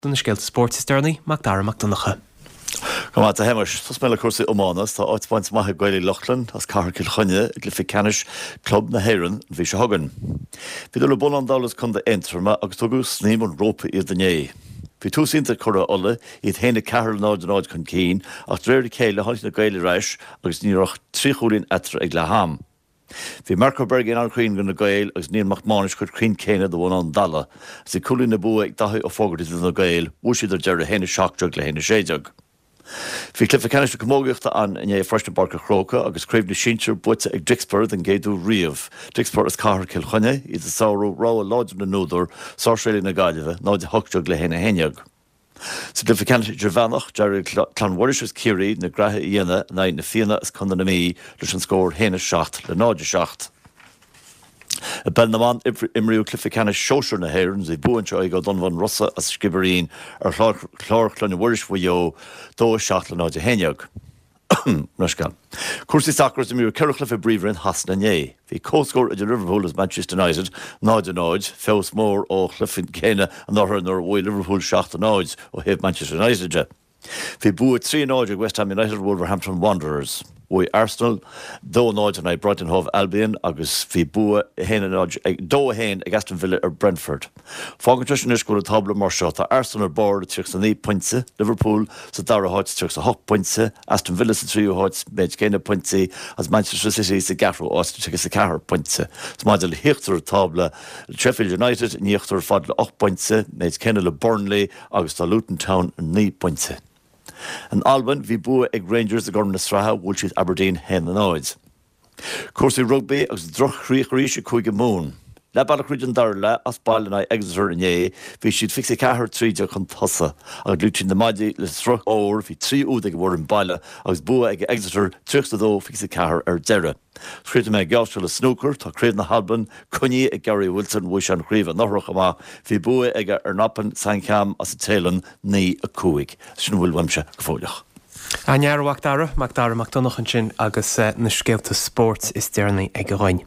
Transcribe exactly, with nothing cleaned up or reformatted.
Do na scéalta spóirt is deireanaí Mac Dara Mac Donncha. Go maith a Shéamais Tosóidh mé le cúrsaí iomána tá áit bainte amach ag Gaeil Uí Lochlainn as Cathair Chill Chainnigh i gcluiche ceannais club na hÉireann an mhí seo chugainn. Bhíodar le Bonán Dalla as Contae Aontroma agus tugadh snaidhm an rópa iad inné. Bhí tús iontach ag curaidh Uladh iad a haon a ceathair le náid a náid chun cinn ach de réir a chéile tháinig na Gaeil ar ais agus ní raibh ach trí chúilín eatarthu ag leath am. Bhí Marco Bergin an-chruinn do na Gaeil agus Neil Mac Mánais chomh cruinn céanna do Bhonán Dalla, is bhí cúilín na bua ag Daithí Ó Fógartaigh do na Gaeil, bhuaigh siad ar deireadh a haon a seacht déag le haon a sé déag. Bhí cluiche ceannais na camógaíochta ann inné freisin i bPáirc an Chrócaigh agus craobh na sinsear buaite ag Dixper den gcéad uair riamh. Dixper as Cathair Chill Chainnigh iad ag sárú rogha láidir na n-údar Sáirséalaigh na Gaillimhe náid a hocht déag le haon a haon déag. Sa gcluiche ceannais idirmheánach d'éirigh le Clann Mhuiris as Ciarraí na graithe a dhéanamh in aghaidh na Fianna as Contae na Mí leis an scór haon a seacht le náid a seacht. I bpeil na mban imríodh cluiche ceannais sóisir na hÉireann bhí bua anseo ag Ó Donnabháin Rosa as Skibbereen ar Chlár Chloinne Mhuiris Mhaigh Eo dó a seacht le náid a haon déag. Leithscéal. Cúrsaí sacair imríodh ceithre chluiche i bPríomhroinn Shasana inné. Bhí comhscór idir Liverpool agus Manchester United náid a náid, feabhas mór ó chluiche céanna anuraidh nuair a bhuaigh Liverpool seacht a náid ó thaobh Manchester United de. Bhí bua trí náid ag West Ham United Wolverhampton Wanderers. Bhuaigh Arsenal dó náid in aghaidh Brighton Hove Albion agus bhí bua ag dó a haon ag Aston Villa ar Brentford. Fágann sé sin go bhfuil an tábla mar seo tá Arsenal ar bord tríocha naoi pointe, Liverpool sa dara háit tríocha hocht pointe, Aston Villa sa tríú háit méid céanna pointí agus Manchester City sa gceathrú háit tríocha ceathair pointe. Is maidir le híochtar tábla Sheffield United in íochtar fad le ocht bpointe, méid céanna le Burnley agus tá Luton Town naoi bpointe. In Albain bhí bua ag Rangers i gCorn na Sraithe bhuail siad Aberdeen haon a náid. Cúrsaí rugbaí agus droch-chríoch arís ag Cúige Mumhan. Leath bealach tríd an dara leath as baile in aghaidh Exeter inné, bhí siad fiche ceathair trí déag chun tosaigh agus loit siad na maidí le sruth óir bhí trí úd ag an bhfoireann baile agus bua ag Exeter tríocha dó fiche ceathair ar deireadh. Críochnóidh mé geallseo le snúcar tá Craobh na hAlban coinnithe ag Gary Wilson bhuaigh sé an chraobh anuraidh chomh maith, bhí bua aige ar Noppon Saengkham as an Téalainn naoi a cúig. Sin a bhfuil uaimse go fóilleach. An-fhear Mac Dara, Mac Dara Mac Donncha ansin agus na scéalta spóirt is deireanaí aige dhúinn.